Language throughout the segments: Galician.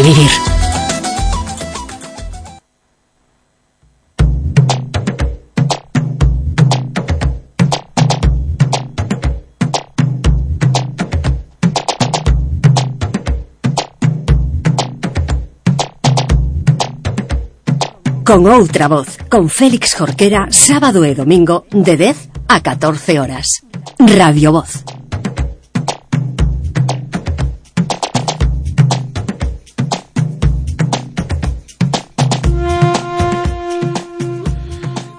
de vivir. Con outra voz, con Félix Jorquera, sábado e domingo, de 10 a 14 horas. Radio Voz.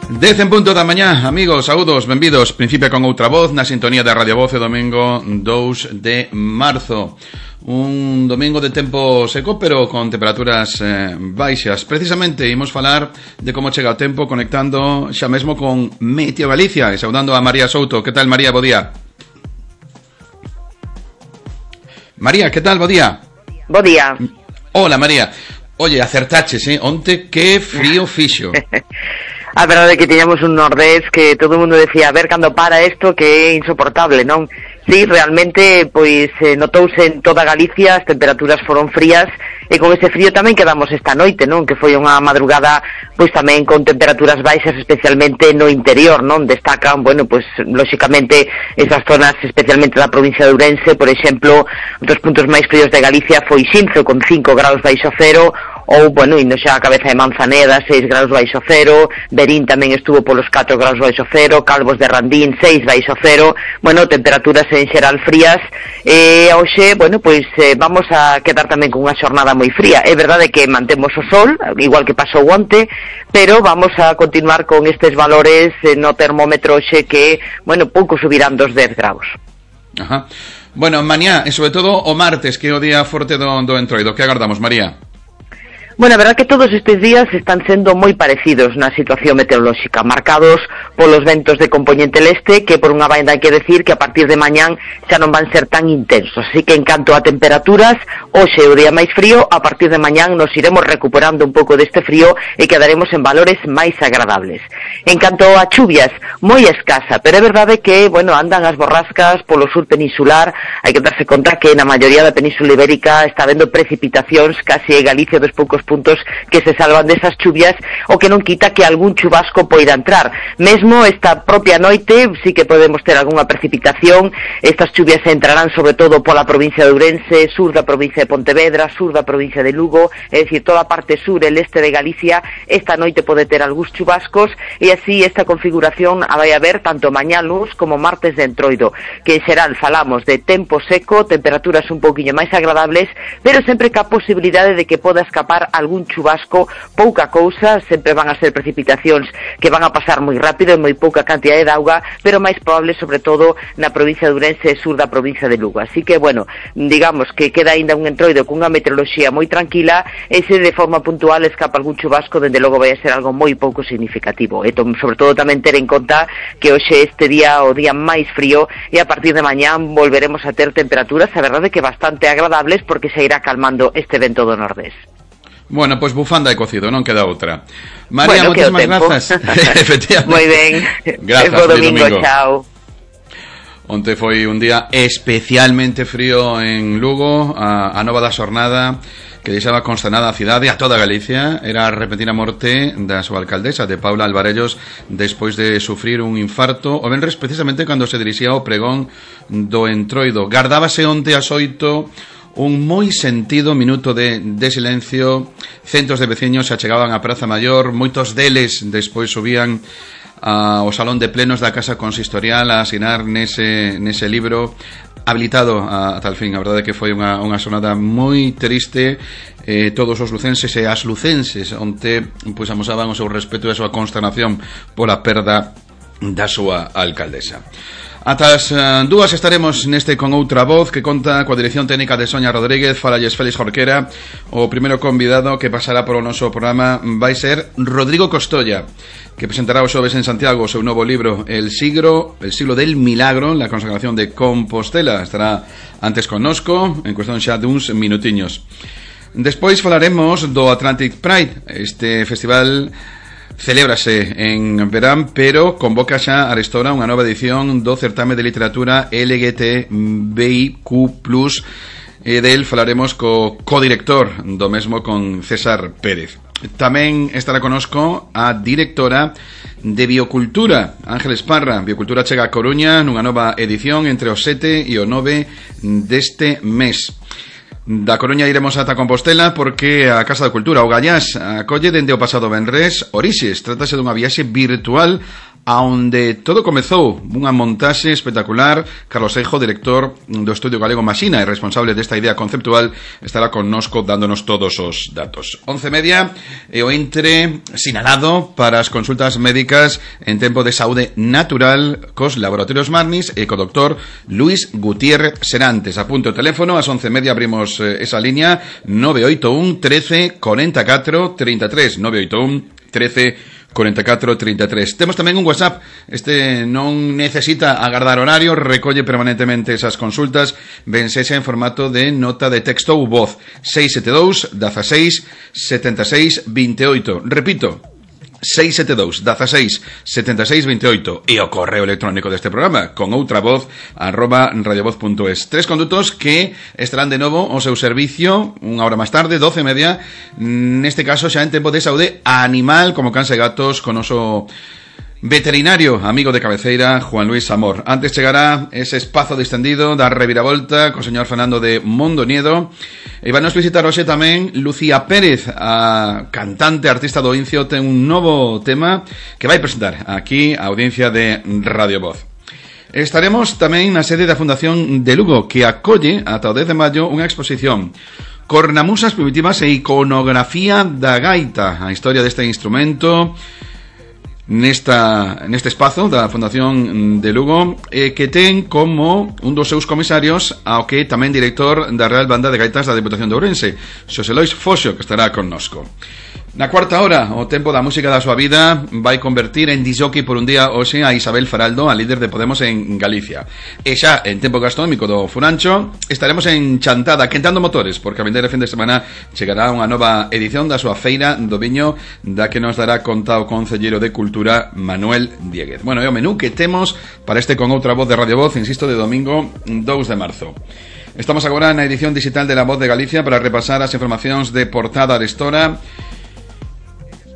Dez en punto da mañá, amigos, saúdos, benvidos. Principia con outra voz na sintonía de Radio Voz, o domingo 2 de marzo. Un domingo de tempo seco, pero con temperaturas baixas. Precisamente imos falar de como chega o tempo, conectando xa mesmo con Meteo Galicia e saudando a María Souto. Que tal, María? Bo día. María, que tal? Bo día. Bo día. Hola, María. Oye, acertaches, onte que frío fixo. A verdade é que tiñamos un nordés que todo o mundo decía, a ver cando para isto, que é insoportable, non? Sí, realmente, pois, notouse en toda Galicia, as temperaturas foron frías, e con ese frío tamén quedamos esta noite, non? Que foi unha madrugada, pois tamén con temperaturas baixas, especialmente no interior, non? Destacan, bueno, pois, lóxicamente, esas zonas, especialmente da provincia de Ourense, por exemplo, dos puntos máis fríos de Galicia foi Xinzo, con 5 graus baixo cero, ou, bueno, indo xa a cabeza de Manzaneda, 6 graus baixo cero, Berín tamén estuvo polos 4 graus baixo cero, Calvos de Randín, 6 baixo cero, bueno, temperaturas en xeral frías, e hoxe, bueno, pois vamos a quedar tamén con unha xornada moi fría. É verdade que mantemos o sol, igual que pasou onte, pero vamos a continuar con estes valores no termómetro hoxe que, bueno, pouco subirán dos 10 graus. Ajá. Bueno, mañá, e sobre todo o martes, que é o día forte do entroido. Que agardamos, María? Bueno, a verdad que todos estes días están sendo moi parecidos na situación meteorolóxica, marcados polos ventos de compoñente leste, que por unha banda hai que decir que a partir de mañán xa non van ser tan intensos. Así que en canto a temperaturas, hoxe o día máis frío, a partir de mañán nos iremos recuperando un pouco deste frío e quedaremos en valores máis agradables. En canto a chuvias, moi escasa, pero é verdade que, bueno, andan as borrascas polo sur peninsular, hai que darse conta que na maioría da península ibérica está habendo precipitacións, case Galicia dos poucos puntos que se salvan desas chuvias, o que non quita que algún chubasco poida entrar. Mesmo esta propia noite sí que podemos ter algunha precipitación. Estas chuvias entrarán sobre todo pola provincia de Ourense, sur da provincia de Pontevedra, sur da provincia de Lugo, é dicir, toda a parte sur e leste de Galicia. Esta noite pode ter algúns chubascos, e así esta configuración a vai haber tanto mañá luz como martes de entroido, que en xeral falamos de tempo seco, temperaturas un pouquiño máis agradables, pero sempre ca posibilidade de que poda escapar algún chubasco, pouca cousa, sempre van a ser precipitacións que van a pasar moi rápido, moi pouca cantidade de auga, pero máis probable sobre todo na provincia de Ourense e sur da provincia de Lugo. Así que, bueno, digamos que queda aínda un entroido cunha meteoroloxía moi tranquila, e se de forma puntual escapa algún chubasco, dende logo vai a ser algo moi pouco significativo. E sobre todo tamén ter en conta que hoxe este día o día máis frío, e a partir de mañán volveremos a ter temperaturas, a verdade que bastante agradables, porque se irá calmando este vento do nordés. Bueno, pois bufanda e cocido, non queda outra. María, bueno, moitas grazas. Efectivamente. Moi ben. Grazas, bo domingo, chao. Onte foi un día especialmente frío en Lugo, a nova da xornada que deixaba consternada a cidade, a toda Galicia. Era a repentina morte da súa alcaldesa, de Paula Alvarellos, despois de sufrir un infarto o venres precisamente cando se dirixía ao pregón do entroido. Gardábase onte ás 8 un moi sentido minuto de silencio. Centos de veciños se achegaban á Praza Maior, moitos deles despois subían ao salón de plenos da Casa Consistorial a asinar nese libro habilitado a tal fin. A verdade é que foi unha xornada moi triste. Todos os lucenses e as lucenses onte pois amosaban o seu respeto e a súa consternación pola perda da súa alcaldesa. Ata as 2 estaremos neste Con Outra Voz, que conta coa dirección técnica de Sonia Rodríguez. Falalles Félix Jorquera. O primeiro convidado que pasará polo noso programa vai ser Rodrigo Costolla, que presentará o xoves en Santiago o seu novo libro El siglo del milagro, la consagración de Compostela. Estará antes connosco, en cuestión xa duns minutiños. Despois falaremos do Atlantic Pride. Este festival celébrase en verán, pero convoca xa arestora unha nova edición do certame de literatura LGTBIQ+, e del falaremos co codirector do mesmo, con César Pérez. Tamén estará conosco a directora de Biocultura, Ángeles Parra. Biocultura chega a Coruña nunha nova edición entre o 7 e o 9 deste mes. Da Coruña iremos ata Compostela porque a Casa da Cultura, o Gallás, acolle dende o pasado venres Orixes. Trátase dunha viaxe virtual aonde todo comezou, unha montaxe espectacular. Carlos Eijo, director do Estudio Galego Maxina e responsable desta idea conceptual, estará connosco dándonos todos os datos. 11:30 e o entre sinalado para as consultas médicas en tempo de saúde natural cos laboratorios Marnis e co doctor Luis Gutiérrez Serantes. Apunto o teléfono, ás 11:30 abrimos esa línea 981 13 44 33 981 13 44 33. Temos tamén un WhatsApp. Este non necesita agardar horario, recolle permanentemente esas consultas, vensexa en formato de nota de texto ou voz. 672 16 76 28. Repito, 672 16 76 28 e o correo electrónico deste programa con outra voz @radiovoz.es. 3 condutos que estarán de novo ao seu servicio unha hora máis tarde, 12:30, neste caso xa en tempo de saúde animal, como cans e gatos, con oso veterinario, amigo de cabeceira, Juan Luis Amor. Antes chegará ese espazo distendido da reviravolta co señor Fernando de Mondoniedo. E van nos visitar hoxe tamén Lucía Pérez, a cantante, artista do Incio. Ten un novo tema que vai presentar aquí a audiencia de Radio Voz. Estaremos tamén na sede da Fundación de Lugo, que acolle ata o 10 de maio unha exposición Cornamusas primitivas e iconografía da gaita, a historia deste instrumento neste espazo da Fundación de Lugo, que ten como un dos seus comisarios ao que tamén director da Real Banda de Gaitas da Deputación de Ourense, Xosé Lois Foxo, que estará connosco. Na cuarta hora, o tempo da música da súa vida vai convertir en disjockey por un día hoxe a Isabel Faraldo, a líder de Podemos en Galicia. E xa en tempo gastronómico do Furancho estaremos en Chantada, quentando motores, porque a vindeira fin de semana chegará unha nova edición da súa feira do viño, da que nos dará conta o concelleiro de Cultura, Manuel Dieguez. Bueno, é o menú que temos para este Con Outra Voz de Radio Voz, insisto, de domingo 2 de marzo. Estamos agora na edición digital de La Voz de Galicia para repasar as informacións de portada de Estora.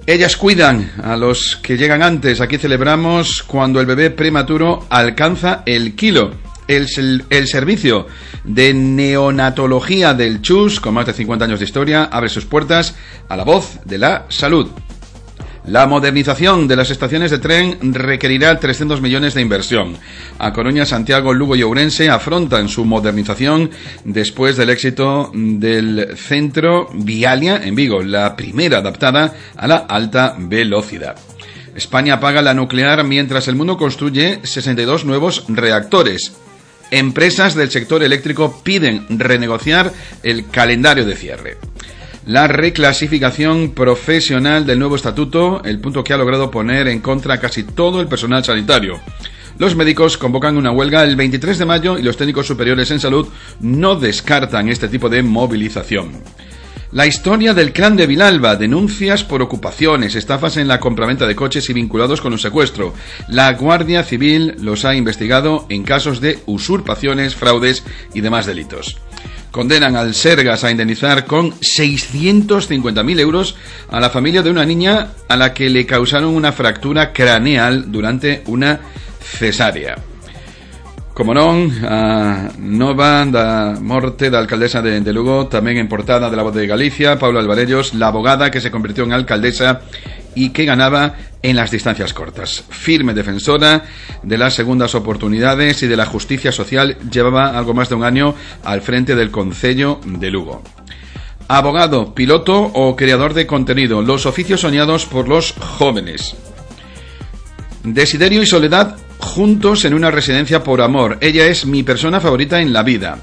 Ellas cuidan a los que llegan antes. Aquí celebramos cuando el bebé prematuro alcanza el kilo. El servicio de neonatología del CHUS, con más de 50 años de historia, abre sus puertas a la voz de la salud. La modernización de las estaciones de tren requerirá 300 millones de inversión. A Coruña, Santiago, Lugo y Ourense afrontan su modernización después del éxito del centro Vialia en Vigo, la primera adaptada a la alta velocidad. España apaga la nuclear mientras el mundo construye 62 nuevos reactores. Empresas del sector eléctrico piden renegociar el calendario de cierre. La reclasificación profesional del nuevo estatuto, el punto que ha logrado poner en contra a casi todo el personal sanitario. Los médicos convocan una huelga el 23 de mayo y los técnicos superiores en salud no descartan este tipo de movilización. La historia del clan de Vilalba, denuncias por ocupaciones, estafas en la compraventa de coches y vinculados con un secuestro. La Guardia Civil los ha investigado en casos de usurpaciones, fraudes y demás delitos. Condenan al Sergas a indemnizar con 650.000 euros a la familia de una niña a la que le causaron una fractura craneal durante una cesárea. Como non, a nova da morte da alcaldesa de Lugo, tamén en portada de La Voz de Galicia, Paula Alvarellos, la abogada que se convirtió en alcaldesa y que ganaba en las distancias cortas. Firme defensora de las segundas oportunidades y de la justicia social, llevaba algo más de un año al frente del Concello de Lugo. Abogado, piloto o creador de contenido, los oficios soñados por los jóvenes. Desiderio y Soledad juntos en una residencia por amor. Ella es mi persona favorita en la vida.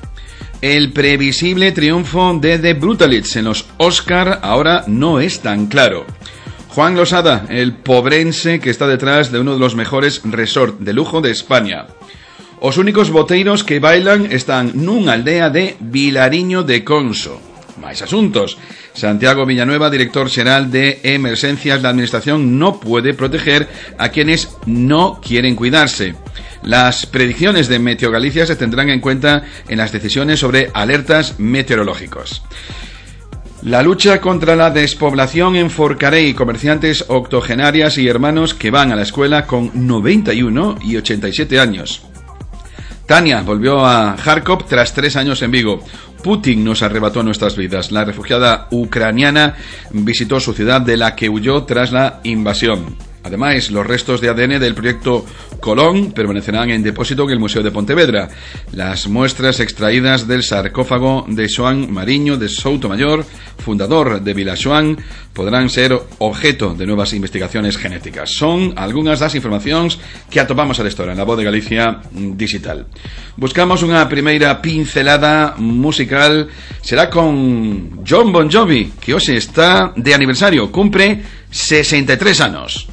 El previsible triunfo de The Brutalists en los Oscar ahora no es tan claro. Juan Losada, el pobrense que está detrás de uno de los mejores resorts de lujo de España. Os únicos boteiros que bailan están nunha aldea de Vilariño de Conso. Máis asuntos. Santiago Villanueva, director xeral de Emergencias. La administración no puede proteger a quienes no quieren cuidarse. Las predicciones de Meteo Galicia se tendrán en cuenta en las decisiones sobre alertas meteorológicos. La lucha contra la despoblación en Forcarei, comerciantes octogenarias y hermanos que van a la escuela con 91 y 87 años. Tania volvió a Kharkov tras 3 años en Vigo. Putin nos arrebató nuestras vidas. La refugiada ucraniana visitó su ciudad de la que huyó tras la invasión. Además, los restos de ADN del proyecto Colón permanecerán en depósito en el Museo de Pontevedra. Las muestras extraídas del sarcófago de Xoán Mariño de Soutomayor, fundador de Vila Xoán, podrán ser objeto de nuevas investigaciones genéticas. Son algunas das informacións que atopamos a esta hora en La Voz de Galicia Digital. Buscamos unha primeira pincelada musical. Será con Jon Bon Jovi, que hoxe está de aniversario, cumpre 63 anos.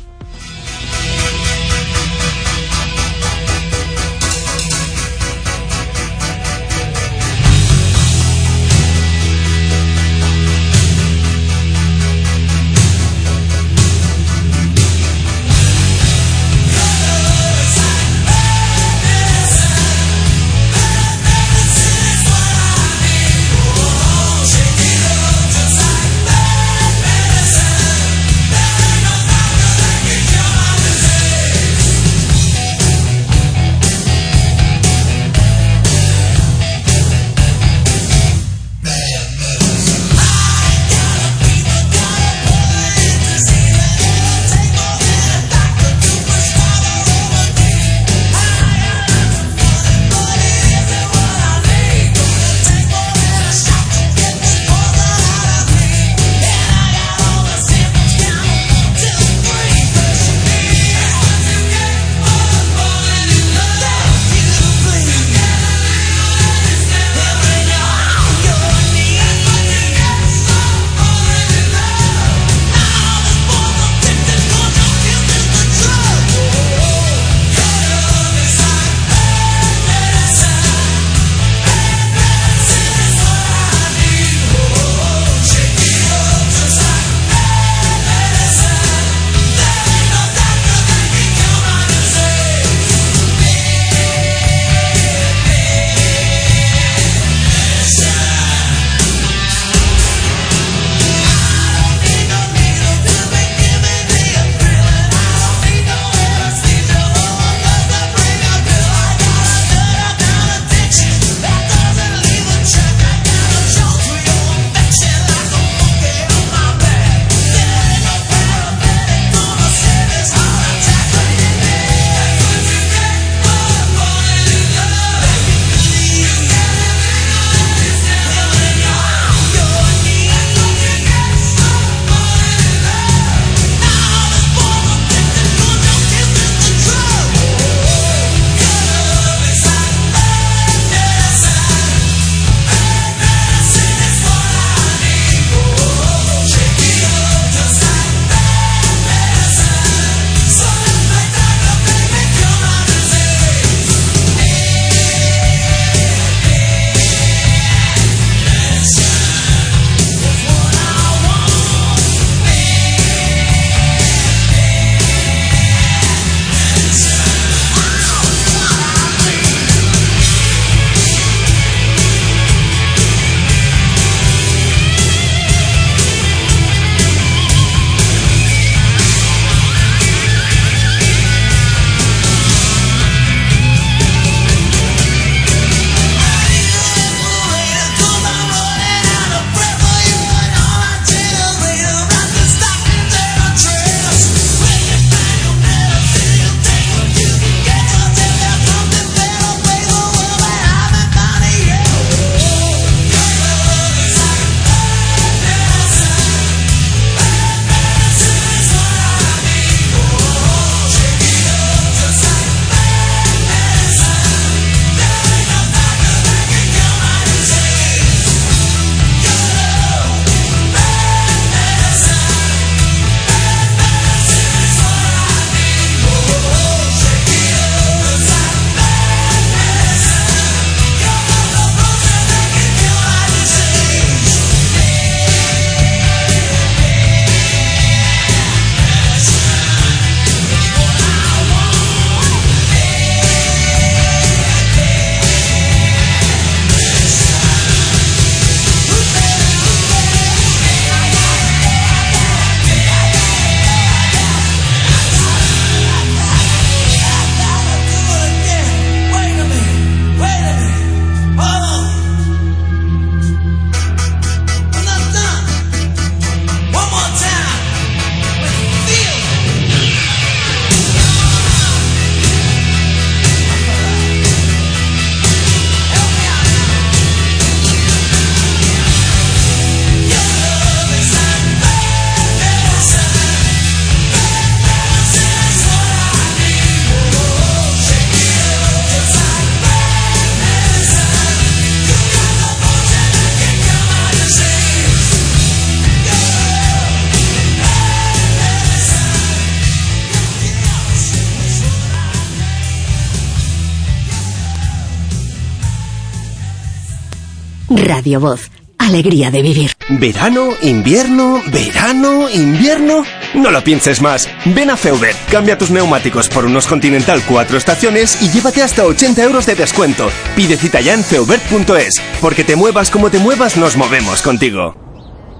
Radio Voz. Alegría de vivir. ¿Verano, invierno, verano, invierno? No lo pienses más. Ven a Feubert, cambia tus neumáticos por unos Continental 4 estaciones y llévate hasta 80 euros de descuento. Pide cita ya en feubert.es, porque te muevas como te muevas, nos movemos contigo.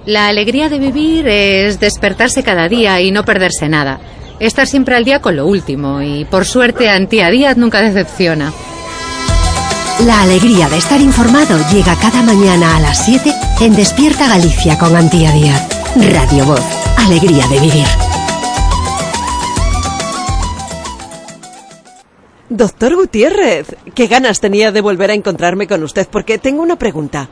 La alegría de vivir es despertarse cada día y no perderse nada. Estar siempre al día con lo último y, por suerte, Antía Díaz nunca decepciona. La alegría de estar informado llega cada mañana a las 7 en Despierta Galicia con Antía Díaz. Radio Voz. Alegría de vivir. Doctor Gutiérrez, qué ganas tenía de volver a encontrarme con usted, porque tengo una pregunta.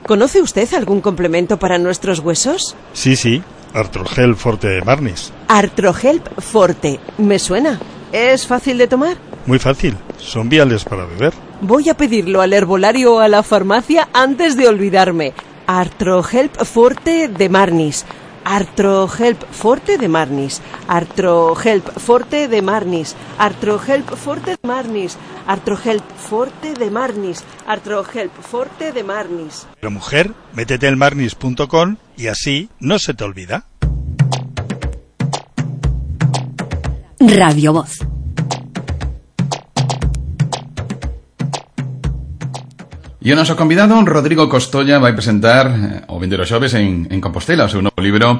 ¿Conoce usted algún complemento para nuestros huesos? Sí, Artrogel Forte de Marnis. Artrogel Forte, me suena. ¿Es fácil de tomar? Muy fácil, son viales para beber. Voy a pedirlo al herbolario o a la farmacia antes de olvidarme. Artrogel Forte de Marnis. Artrogel Forte de Marnis. Artrogel Forte de Marnis. Artrogel Forte de Marnis. Artrogel Forte de Marnis. Artrogel Forte de Marnis. Pero mujer, métete en marnis.com y así no se te olvida. Radio Voz. E o noso convidado, Rodrigo Costolla, vai presentar o 22 xoves en Compostela o seu novo libro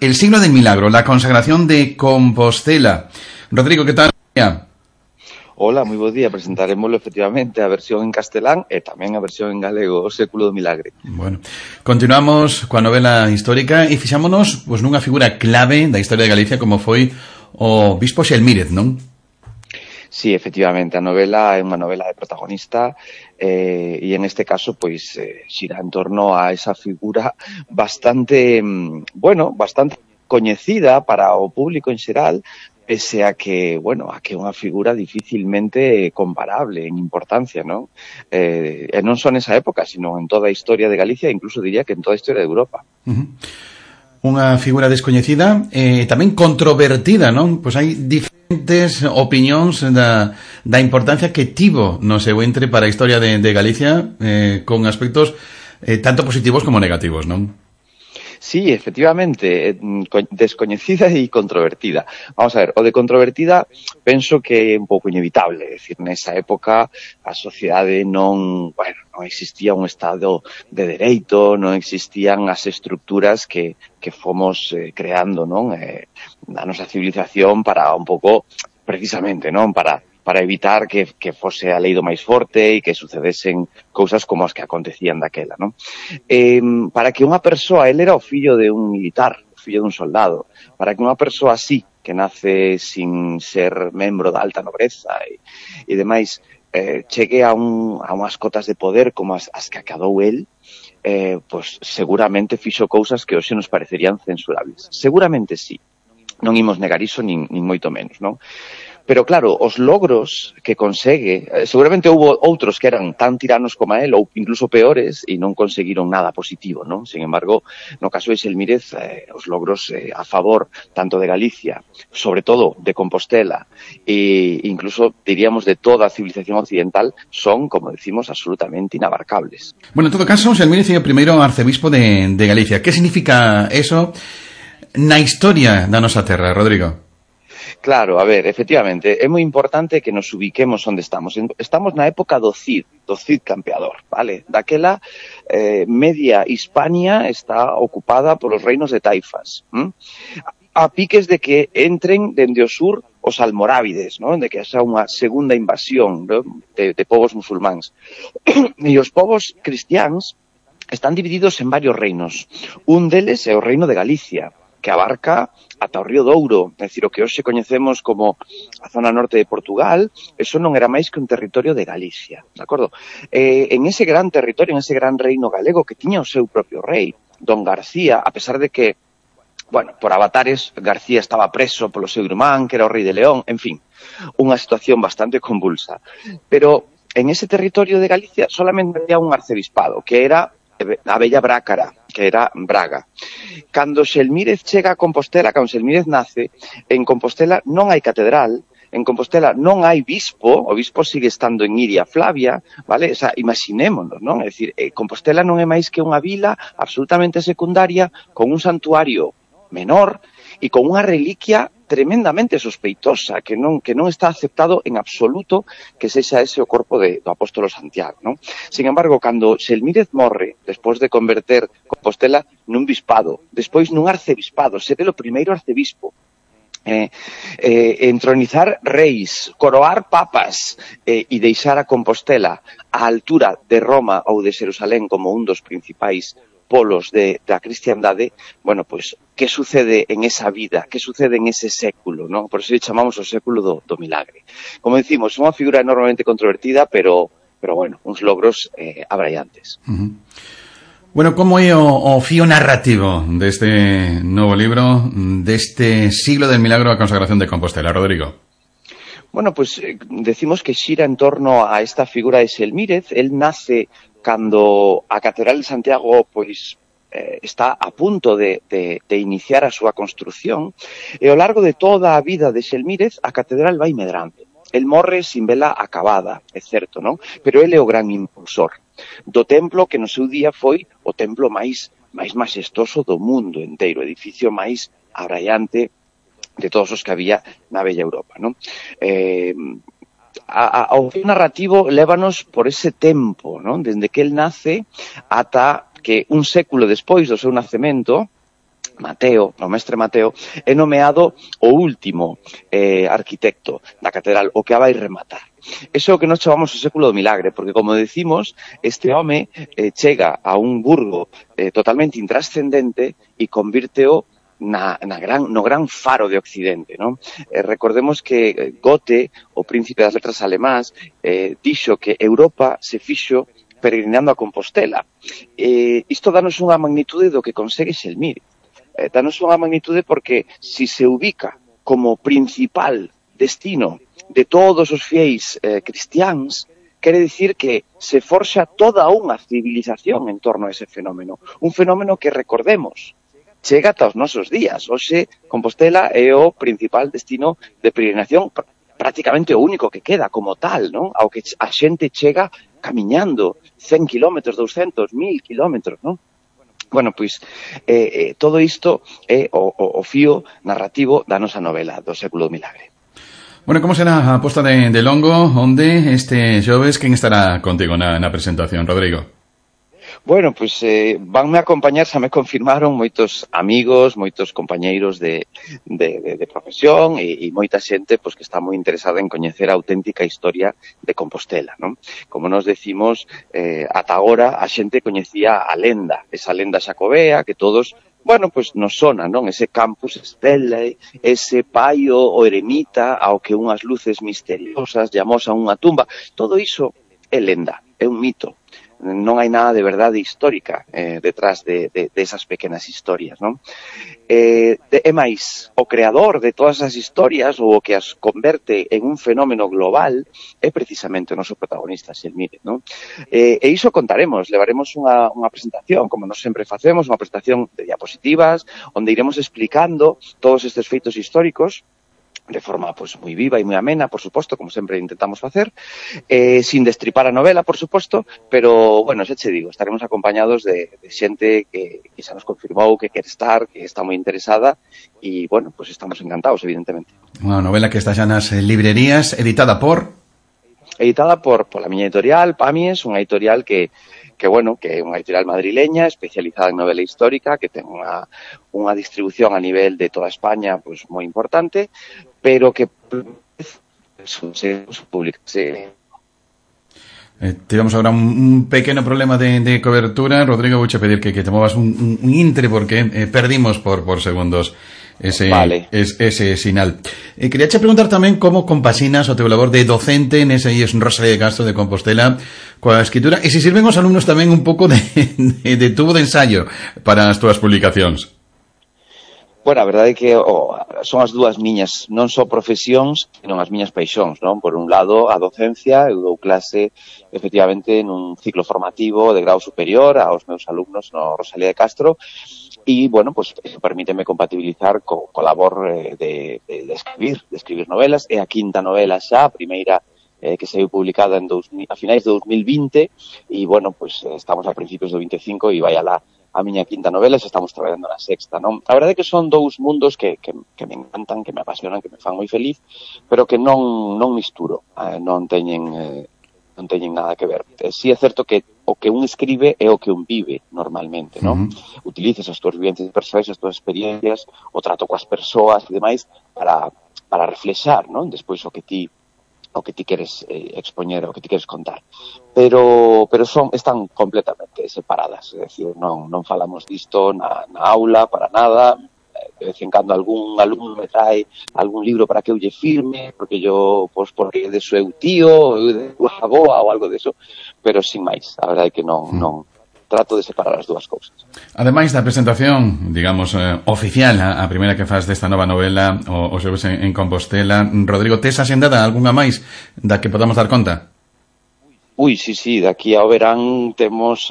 El siglo del milagro, la consagración de Compostela. Rodrigo, que tal? Hola, moi bo día. Presentaremoslo efectivamente a versión en castelán e tamén a versión en galego, O século do milagre. Bueno, continuamos coa novela histórica e fixámonos pois, nunha figura clave da historia de Galicia como foi o bispo Xelmírez, non? Sí, efectivamente, a novela é unha novela de protagonista e en este caso pois xira en torno a esa figura bastante, bastante coñecida para o público en xeral, pese a que, a que é unha figura dificilmente comparable en importancia, non? E non só nesa época, sino en toda a historia de Galicia, incluso diría que en toda a historia de Europa. Unha figura descoñecida e tamén controvertida, non? Pois hai diferentes opinións da importancia que tivo no seu entre para a historia de Galicia con aspectos tanto positivos como negativos, non? Sí, efectivamente, descoñecida e controvertida. Vamos a ver, o de controvertida penso que é un pouco inevitable, é dicir, nesa época a sociedade non existía un estado de dereito, non existían as estructuras que fomos creando, non? A nosa civilización para un pouco, precisamente, non? Para evitar que fose a lei do máis forte e que sucedesen cousas como as que acontecían daquela, non? Para que unha persoa, ele era o fillo de un militar, o fillo dun soldado, para que unha persoa así, que nace sin ser membro da alta nobreza e demais, chegue a unhas cotas de poder como as que acadou el, pois seguramente fixo cousas que hoxe nos parecerían censurables. Seguramente sí. Non imos negar iso nin moito menos, non? Pero claro, os logros que consegue, seguramente houve outros que eran tan tiranos como él ou incluso peores e non conseguiron nada positivo, non? Sin embargo, no caso de Xelmírez, os logros a favor tanto de Galicia, sobre todo de Compostela e incluso diríamos de toda a civilización occidental son, como decimos, absolutamente inabarcables. Bueno, en todo caso, Xelmírez é o primeiro arcebispo de Galicia. Que significa eso na historia da nosa terra, Rodrigo? Claro, a ver, efectivamente, é moi importante que nos ubiquemos onde estamos. Estamos na época do Cid campeador, vale? Daquela media Hispania está ocupada polos reinos de taifas, a piques de que entren dende o sur os almorávides, non? De que haxa unha segunda invasión, non? de povos musulmáns. E os povos cristiáns están divididos en varios reinos. Un deles é o reino de Galicia, que abarca ata o río Douro, é dicir, o que hoxe coñecemos como a zona norte de Portugal, eso non era máis que un territorio de Galicia, de acordo? En ese gran territorio, en ese gran reino galego que tiña o seu propio rei, Don García, a pesar de que, por avatares, García estaba preso polo seu irmán, que era o rei de León, en fin, unha situación bastante convulsa. Pero en ese territorio de Galicia solamente había un arcebispado, que era a Bella Brácara, que era Braga. Cando Xelmírez chega a Compostela, cando Xelmírez nace, en Compostela non hai catedral, En Compostela non hai bispo, o bispo sigue estando en Iria Flavia, vale? O sea, imaginémonos, non? É dicir, Compostela non é máis que unha vila absolutamente secundaria con un santuario menor e con unha reliquia tremendamente sospeitosa, que non está aceptado en absoluto que sexa ese o corpo do apóstolo Santiago, non? Sin embargo, cando Xelmírez morre, despois de converter Compostela nun bispado, despois nun arcebispado, ser o primeiro arcebispo, entronizar reis, coroar papas e deixar a Compostela á altura de Roma ou de Xerusalén como un dos principais polos da cristiandade, bueno, pois, que sucede en esa vida, que sucede en ese século, non? Por eso chamamos o século do milagre. Como decimos, unha figura enormemente controvertida, pero bueno, uns logros abraiantes. Bueno, como é o fío narrativo deste novo libro, deste siglo del milagro da consagración de Compostela, Rodrigo? Bueno, pues decimos que xira en torno a esta figura de Xelmírez. Él nace cando a Catedral de Santiago pois está a punto de iniciar a súa construción, e ao largo de toda a vida de Xelmírez a catedral vai medrando. El morre sin vela acabada, é certo, non? Pero ele é o gran impulsor do templo que no seu día foi o templo máis maxestoso do mundo inteiro, o edificio máis abraiante de todos os que había na bella Europa, non? Ao fío narrativo lévanos por ese tempo, non? Desde que el nace ata que un século despois do seu nacemento, Mateo, o mestre Mateo, é nomeado o último arquitecto da catedral, o que a vai rematar. Eso é o que nos chamamos o século do milagre, porque, como decimos, este home chega a un burgo totalmente intrascendente e convírteo no gran faro de Occidente, non? Recordemos que Goethe, o príncipe das letras alemás, dixo que Europa se fixo peregrinando a Compostela. Isto danos unha magnitude do que consegue Xelmírez. Danos unha magnitude porque si se ubica como principal destino de todos os fiéis cristiáns, quere dicir que se forxa toda unha civilización en torno a ese fenómeno. Un fenómeno que, recordemos, chega ata os nosos días. Hoxe, Compostela é o principal destino de peregrinación, prácticamente o único que queda como tal, non? Ao que a xente chega camiñando 100 kilómetros, 200, 1000 kilómetros, non? Bueno, pois, todo isto é o fío narrativo da nosa novela do século do milagre. Bueno, como será a posta de Longo, onde este xoves, quen estará contigo na presentación, Rodrigo? Bueno, pois vanme acompañar, xa me confirmaron moitos amigos, moitos compañeiros de profesión e moita xente pois que está moi interesada en coñecer a auténtica historia de Compostela, non? Como nos decimos, ata agora a xente coñecía a lenda, esa lenda xacobea que todos, bueno, pois nos sona, non? Ese campus Stellae, ese paio o eremita ao que unhas luces misteriosas llamosan unha tumba, todo iso é lenda, é un mito. Non hai nada de verdade histórica detrás de esas pequenas historias, non? É máis, o creador de todas as historias ou o que as converte en un fenómeno global é precisamente o noso protagonista, Xelmírez, non? E iso contaremos, levaremos unha presentación, como nos sempre facemos, unha presentación de diapositivas, onde iremos explicando todos estes feitos históricos de forma pues moi viva e moi amena, por suposto, como sempre intentamos facer, sin destripar a novela, por suposto, pero, bueno, xa che digo, estaremos acompañados de xente que xa nos confirmou que quere estar, que está moi interesada, e, bueno, pues estamos encantados, evidentemente. Unha novela que está xa nas librerías, editada por la miña editorial, Pamies, unha editorial que é unha editorial madrileña especializada en novela histórica, que ten unha distribución a nivel de toda España pues moi importante, pero que se publicase. Tivemos agora un pequeno problema de cobertura. Rodrigo, vouche pedir que te movas un intre porque perdimos por segundos ese sinal. Quería che preguntar tamén como compasinas o teu labor de docente nese IES Rosalía de Castro de Compostela coa escritura, e se sirven os alumnos tamén un pouco de tubo de ensayo para as túas publicacións. Bueno, a verdade é que son as dúas miñas, non só profesións, senón as miñas paixóns, non? Por un lado, a docencia, eu dou clase, efectivamente, nun ciclo formativo de grau superior aos meus alumnos no Rosalía de Castro, y, bueno, pues eso permíteme compatibilizar co labor de escribir novelas. É a quinta novela xa, a primeira que saiu publicada a finais de 2020 e, bueno, pues estamos a principios do 25 e vai alá a miña quinta novela e xa estamos traballando na sexta, non? A verdade é que son dous mundos que me encantan, que me apasionan, que me fan moi feliz, pero que non misturo, non teñen nada que ver. Si é certo que o que un escribe é o que un vive normalmente, non? Utilizas as túas vivencias persoais, as túas experiencias, o trato coas persoas e demais para reflexar, non? Despois o que ti queres expoñer, o que ti queres contar. Pero están completamente separadas, é dicir, non falamos disto na aula para nada. De vez en cando algún alumno me trae algún libro para que eu lle firme, porque porque de seu tío, de súa aboa ou algo deso, pero sin máis. A verdade é que non trato de separar as dúas cousas. Ademais da presentación, digamos, oficial, a primeira que faz desta nova novela, o xoves en Compostela, Rodrigo, tes axendada algunha máis da que podamos dar conta? Sí, daqui ao verán temos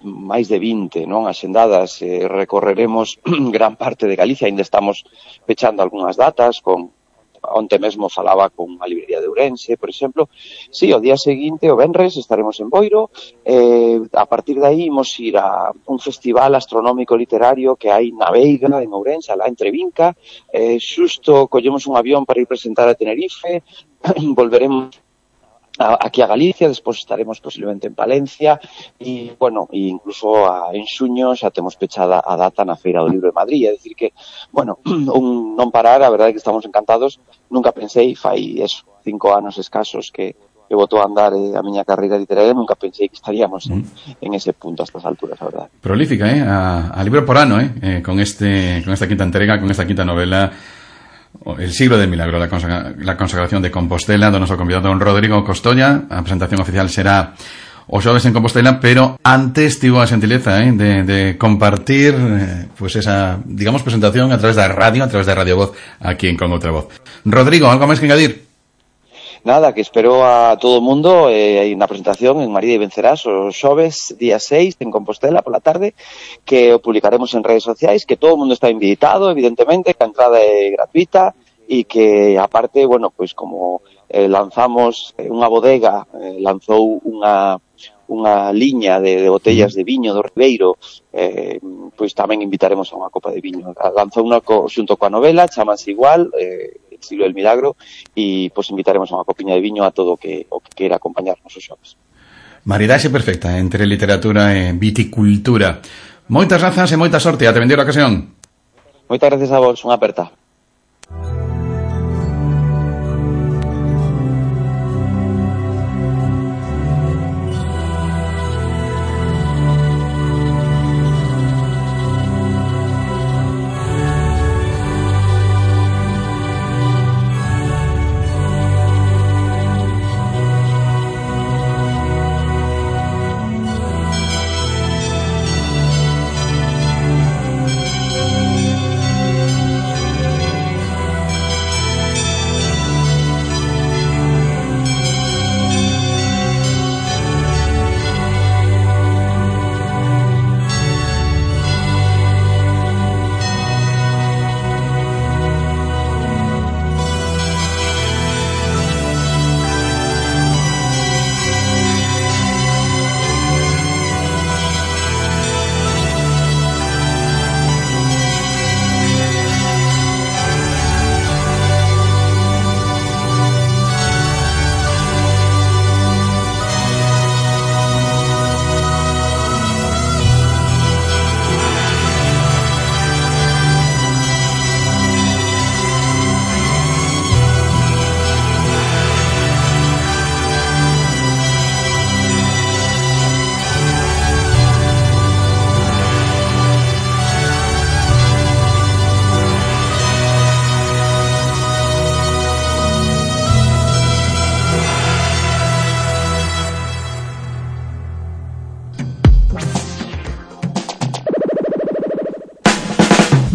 máis de 20, non, axendadas. Recorreremos gran parte de Galicia, ainda estamos pechando algunhas datas onte mesmo falaba con unha librería de Ourense, por exemplo. Sí, o día seguinte, o venres, estaremos en Boiro. A partir de aí imos ir a un festival astronómico literario que hai na Veiga, en Ourense, alá entre Vinca. Xusto collemos un avión para ir presentar a Tenerife. Volveremos aquí a Galicia, despois estaremos posiblemente en Palencia e, bueno, incluso en xuño xa temos pechada a data na Feira do Libro de Madrid. É dicir que, bueno, non parar, a verdade é que estamos encantados. Nunca pensei, fai 5 anos escasos que botou a andar a miña carreira literaria, nunca pensei que estaríamos en ese punto a estas alturas, a verdade. Prolífica, a libro por ano, con esta quinta entrega, con esta quinta novela, El siglo del milagro, la consagración de Compostela, do noso convidado don Rodrigo Costolla. A presentación oficial será o xoves en Compostela, pero antes tivo a xentileza de compartir pues esa, digamos, presentación a través da radio, a través da Radio Voz, aquí en Con Outra Voz. Rodrigo, algo máis que engadir? Nada, que espero a todo o mundo na presentación en María e Vencerás o xoves, día 6, en Compostela, pola tarde, que o publicaremos en redes sociais, que todo o mundo está invitado, evidentemente, que a entrada é gratuita e que, aparte, bueno, pois como lanzamos unha bodega, lanzou unha liña de botellas de viño do Ribeiro, pois tamén invitaremos a unha copa de viño. Lanzou unha xunto coa novela, chamase igual, El siglo del milagro, e pois invitaremos a unha copiña de viño a todo o que queira acompañarnos os xoves. Maridaxe perfecta entre literatura e viticultura. Moitas grazas e moita sorte, ate vender a ocasión. Moitas gracias a vos, unha aperta.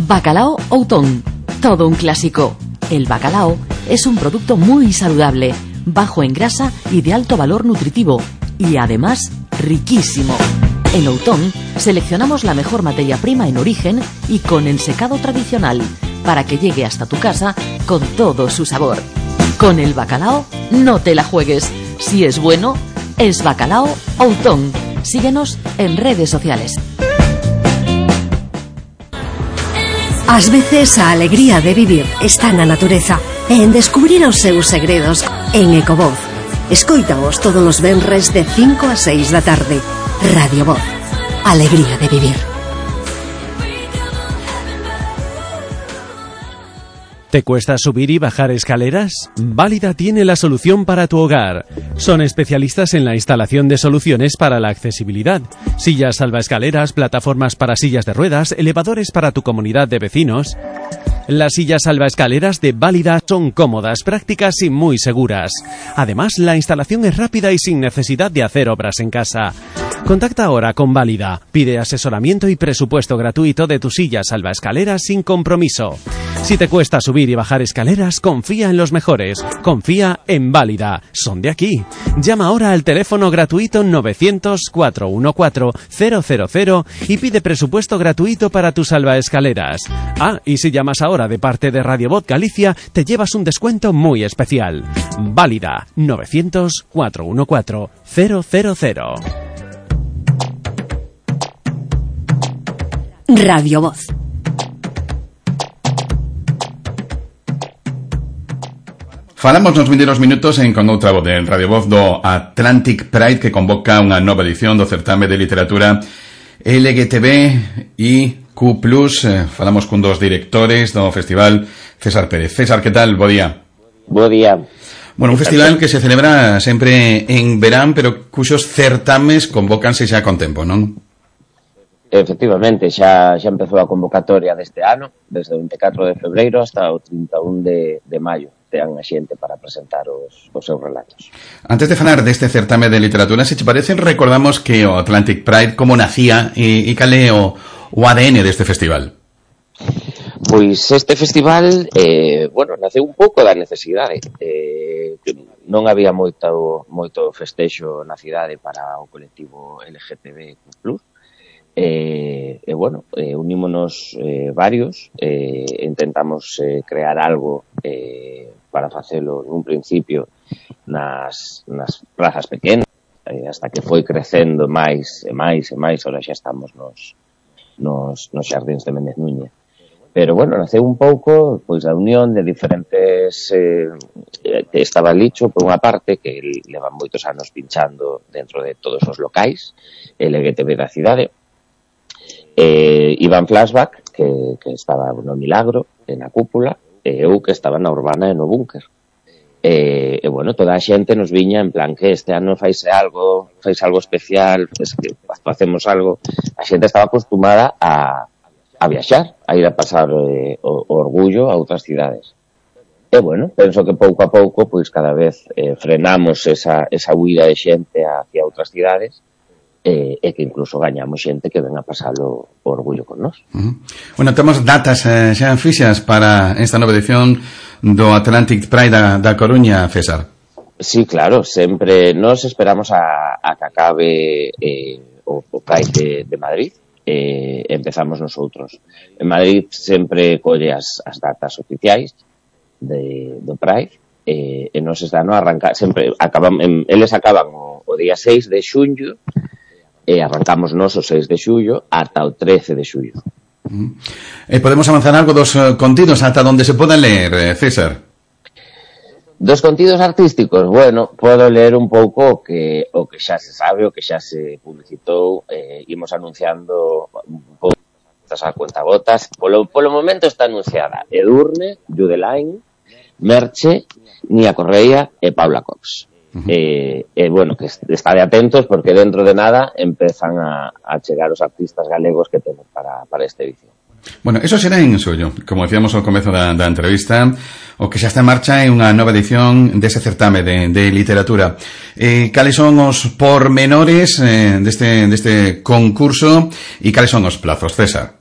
Bacalao Outón, todo un clásico. El bacalao es un producto muy saludable, bajo en grasa y de alto valor nutritivo, y además riquísimo. En Outón Seleccionamos la mejor materia prima en origen y con ensecado tradicional, para que llegue hasta tu casa con todo su sabor. Con el bacalao, no te la juegues. Si es bueno, es Bacalao Outón. Síguenos en redes sociales. Ás veces a alegría de vivir está na natureza e en descubrir os seus segredos en Ecovoz. Escóitaos todos os venres de 5 a 6 da tarde. Radio Voz. Alegría de vivir. ¿Te cuesta subir y bajar escaleras? Válida tiene la solución para tu hogar. Son especialistas en la instalación de soluciones para la accesibilidad. Sillas salvaescaleras, plataformas para sillas de ruedas, elevadores para tu comunidad de vecinos. Las sillas salvaescaleras de Válida son cómodas, prácticas y muy seguras. Además, la instalación es rápida y sin necesidad de hacer obras en casa. Contacta ahora con Válida. Pide asesoramiento y presupuesto gratuito de tu silla salvaescaleras sin compromiso. Si te cuesta subir y bajar escaleras, confía en los mejores. Confía en Válida. Son de aquí. Llama ahora al teléfono gratuito 900-414-000 y pide presupuesto gratuito para tus salvaescaleras. Ah, y si llamas ahora de parte de Radio Voz Galicia, te llevas un descuento muy especial. Válida. 900-414-000. Radio Voz. Falamos nos vindeiros minutos en con outra voz de Radio Voz do Atlantic Pride, que convoca unha nova edición do certame de literatura LGTBIQ+. Falamos cun dos directores do festival, César Pérez. César, que tal? Bo día. Bo día. Bueno, un festival que se celebra sempre en verán, pero cuxos certames convócanse xa con tempo, non? Efectivamente, xa empezou a convocatoria deste ano, desde o 24 de febreiro hasta o 31 de maio. Tean a xente para presentar os seus relatos. Antes de falar deste certame de literatura, se te parece, recordamos que o Atlantic Pride como nacía e cal é o ADN deste festival? Pois este festival, naceu un pouco da necesidade. Non había moito festexo na cidade para o colectivo LGTBIQ+. Unímonos varios, intentamos crear algo para facelo nun principio nas plazas pequenas, hasta que foi crecendo máis e máis, ahora xa estamos nos xardíns de Méndez Núñez. Pero, naceu un pouco pois da unión de diferentes estaba Licho, por unha parte, que levan moitos anos pinchando dentro de todos os locais LGTB da cidade, Iván Flashback, que estaba no Milagro, na Cúpula, e eu que estaba na Urbana e no Búnker. Toda a xente nos viña en plan que este ano fais algo especial, que facemos algo. A xente estaba acostumada a viaxar, a ir a pasar o orgullo a outras cidades. Penso que pouco a pouco, pois cada vez frenamos esa huida de xente hacia outras cidades, e que incluso gañamos xente que ven a pasalo o orgullo con nós. Temos datas xa fixas para esta nova edición do Atlantic Pride da Coruña, César. Sí, claro, sempre nos esperamos a que acabe o Pride de Madrid, empezamos nosotros. En Madrid sempre colle as datas oficiais do Pride, e nos este ano arrancar, sempre eles acaban o día 6 de xunio, e arrancamos nos o 6 de xullo ata o 13 de xullo. Podemos avanzar algo dos contidos ata onde se podan ler, César? Dos contidos artísticos, podo ler un pouco o que xa se sabe, o que xa se publicitou, imos anunciando un pouco a cuentagotas. Polo momento está anunciada Edurne, Judeline, Merche, Nia Correia e Paula Cox. Que estade atentos porque dentro de nada empezan a chegar os artistas galegos que temos para esta edición. Eso será en xullo, como decíamos ao comezo da entrevista. O que xa está en marcha é unha nova edición dese certame de literatura. Cales son os pormenores deste concurso e cales son os plazos, César?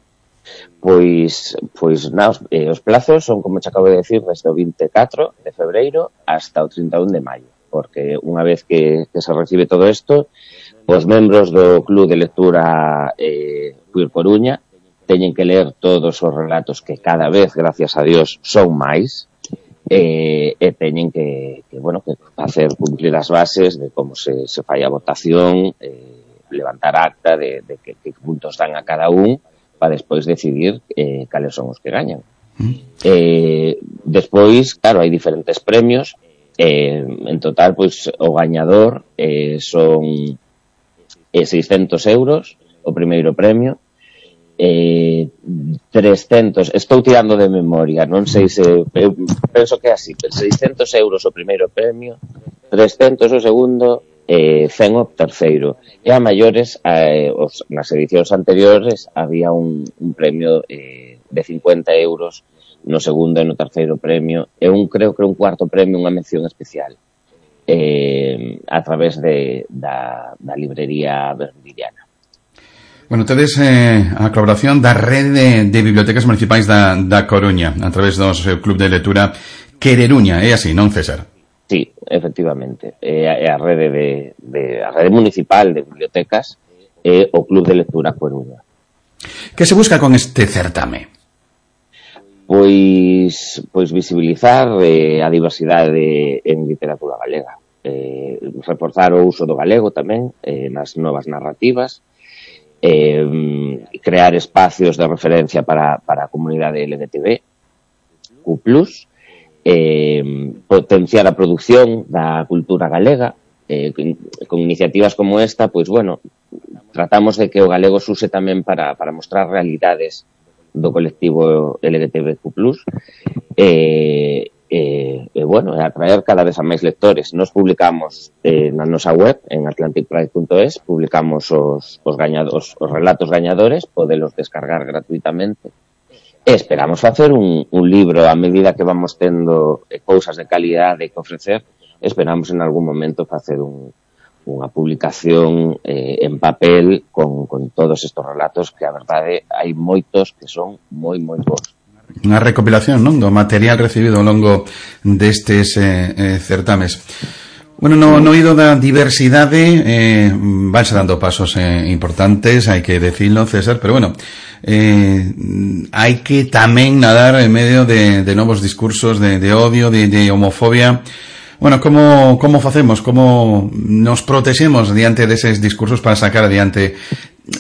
Pois os plazos son, como te acabo de decir, desde o 24 de febreiro hasta o 31 de maio. porque unha vez que se recibe todo isto, os membros do Club de Lectura Queer Coruña teñen que ler todos os relatos que cada vez, gracias a Dios, son máis, e teñen que facer cumplir as bases de como se fai a votación, levantar acta de que puntos dan a cada un para despois decidir cales son os que gañan. Despois, claro, hai diferentes premios, en total, pois, o gañador son 600 euros o primeiro premio, 300, estou tirando de memoria, non sei se penso que é así, 600 euros o primeiro premio, 300 o segundo, 100 o terceiro, e a maiores, nas edicións anteriores había un premio de 50 euros no segundo e no terceiro premio, e creo que un cuarto premio, unha mención especial a través da librería Vermiliana. Bueno, tedes a colaboración da rede de bibliotecas municipais da Coruña a través do Club de Lectura Quereruña, é así, non, César? Sí, efectivamente. É a rede a rede municipal de bibliotecas e o Club de Lectura Coruña. Que se busca con este certame? Pois visibilizar a diversidade en literatura galega, reforzar o uso do galego tamén nas novas narrativas, crear espacios de referencia para a comunidade LGTB, Q+, potenciar a produción da cultura galega, con iniciativas como esta, pois, bueno, tratamos de que o galego se use tamén para mostrar realidades do colectivo LGTBQ+, bueno, atraer cada vez a máis lectores. Nos publicamos na nosa web, en atlanticpride.es, publicamos os relatos gañadores, podelos descargar gratuitamente, e esperamos facer un libro a medida que vamos tendo cousas de calidade que ofrecer. Esperamos en algún momento facer unha publicación en papel con todos estes relatos, que a verdade hai moitos que son moi bons. Unha recopilación, non, do material recibido ao longo destes certames. Bueno, no oído da diversidade vanse dando pasos importantes, hai que decirlo, César, pero bueno, hai que tamén nadar en medio de novos discursos de odio, de homofobia. Bueno, como facemos, como nos protexemos diante deses discursos para sacar adiante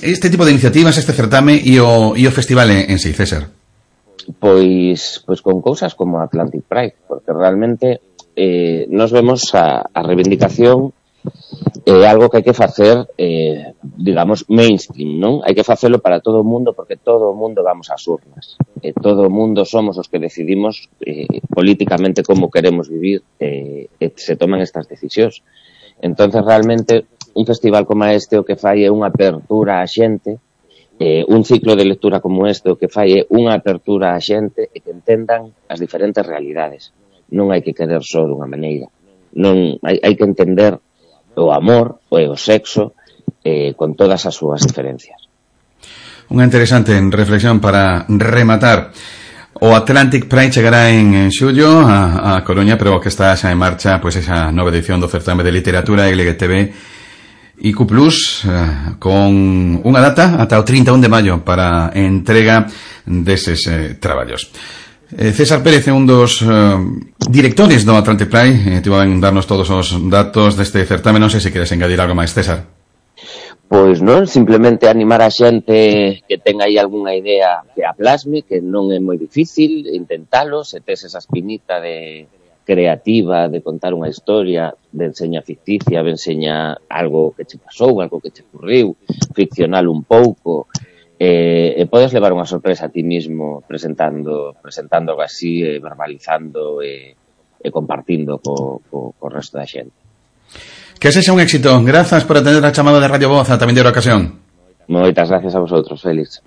este tipo de iniciativas, este certame e o festival en sí, César? Pois con cousas como Atlantic Pride, porque realmente nos vemos a reivindicación algo que hai que facer, digamos, mainstream, non? Hai que facelo para todo o mundo, porque todo o mundo vamos ás urnas. Todo o mundo somos os que decidimos políticamente como queremos vivir, se toman estas decisións. Entonces, realmente, un festival como este o que fai é unha apertura á xente, un ciclo de lectura como este o que fai é unha apertura á xente e que entendan as diferentes realidades. Non hai que querer só dunha maneira. Non hai que entender o amor e o sexo con todas as súas diferencias. Unha interesante reflexión para rematar. O Atlantic Pride chegará en xullo a Coruña, pero que está xa en marcha pois esa nova edición do certame de literatura LGTB IQ+, con unha data ata o 31 de maio para entrega deses traballos. César Pérez é un dos directores do Atlantic Pride, tivo en darnos todos os datos deste certame. Non sei se queres engadir algo máis, César. Pois non, simplemente animar a xente que ten aí algunha idea que a plasme, que non é moi difícil intentalo, se tes esa espinita de creativa, de contar unha historia, de enseña ficticia, de enseña algo que che pasou, algo que che ocurriu, ficcional un pouco, e podes levar unha sorpresa a ti mismo presentando algo así, verbalizando e compartindo co resto da xente. Que sexa un éxito. Grazas por atender a chamada de Radio Voz a tamén de ocasión. Moitas gracias a vosotros, Félix.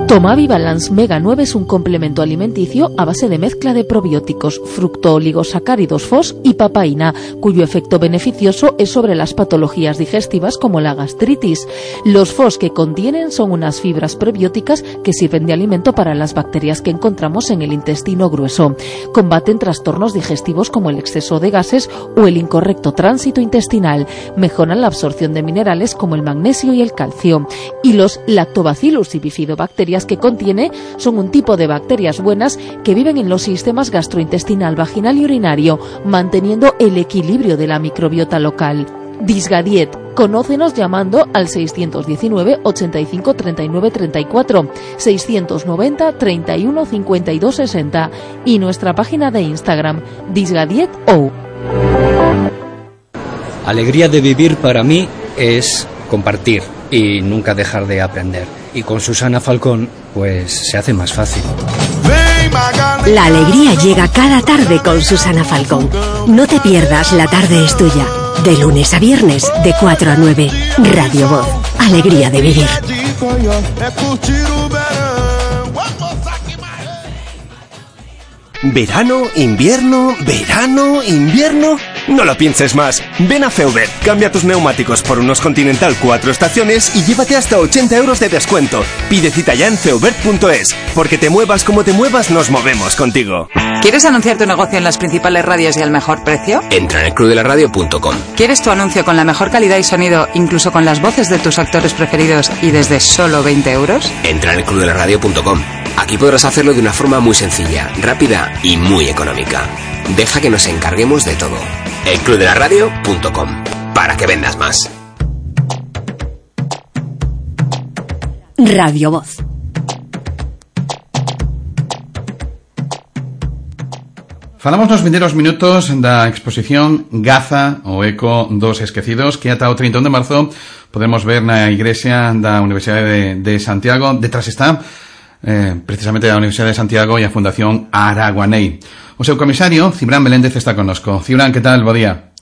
Tomavi Balance Mega 9 es un complemento alimenticio a base de mezcla de probióticos, fructooligosacáridos FOS y papaína, cuyo efecto beneficioso es sobre las patologías digestivas como la gastritis. Los FOS que contienen son unas fibras prebióticas que sirven de alimento para las bacterias que encontramos en el intestino grueso. Combaten trastornos digestivos como el exceso de gases o el incorrecto tránsito intestinal. Mejoran la absorción de minerales como el magnesio y el calcio. Y los Lactobacillus y bifidobacterias que contiene son un tipo de bacterias buenas que viven en los sistemas gastrointestinal, vaginal y urinario, manteniendo el equilibrio de la microbiota local. Disgadiet. Conócenos llamando al 619 85 39 34, 690 31 52 60 y nuestra página de Instagram, DisgadietO. Alegría de vivir para mí es compartir y nunca dejar de aprender. Y con Susana Falcón, pues se hace más fácil. La alegría llega cada tarde con Susana Falcón. No te pierdas La Tarde es Tuya. De lunes a viernes, de 4 a 9. Radio Voz. Alegría de vivir. ¿Verano, invierno, verano, invierno? No lo pienses más. Ven a Feubert, cambia tus neumáticos por unos Continental 4 estaciones y llévate hasta 80 euros de descuento. Pide cita ya en feubert.es, porque te muevas como te muevas, nos movemos contigo. ¿Quieres anunciar tu negocio en las principales radios y al mejor precio? Entra en elclubdelaradio.com. ¿Quieres tu anuncio con la mejor calidad y sonido, incluso con las voces de tus actores preferidos y desde solo 20 euros? Entra en elclubdelaradio.com. Aquí podrás hacerlo de una forma muy sencilla, rápida y muy económica. Deja que nos encarguemos de todo. elclubdelaradio.com. Para que vendas más. Radio Voz. Falamos nos vindeiros minutos da exposición Gaza, o Eco dos Esquecidos, que ata o 31 de marzo podemos ver na igrexa da Universidade de Santiago. Detrás está precisamente a Universidade de Santiago e a Fundación Araguaney. O seu comisario, Cibrán Meléndez, está connosco. Cibrán, que tal? Bo día.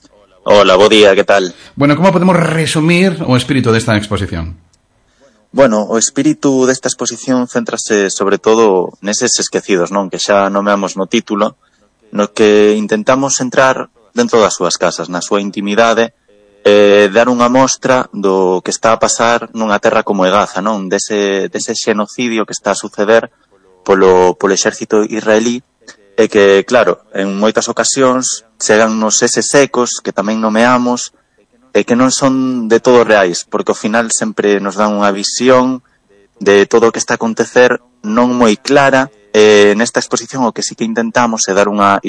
Hola, bo día, que tal? Bueno, como podemos resumir o espírito desta exposición? Bueno, o espírito desta exposición céntrase sobre todo neses esquecidos, non? Que xa nomeamos no título, no que intentamos entrar dentro das súas casas, na súa intimidade, dar unha mostra do que está a pasar nunha terra como Gaza, non? Dese xenocidio que está a suceder polo exército israelí, e que, claro, en moitas ocasións chegan nos eses ecos que tamén nomeamos e que non son de todo reais, porque ao final sempre nos dan unha visión de todo o que está a acontecer non moi clara. Nesta exposición o que sí que intentamos é dar unha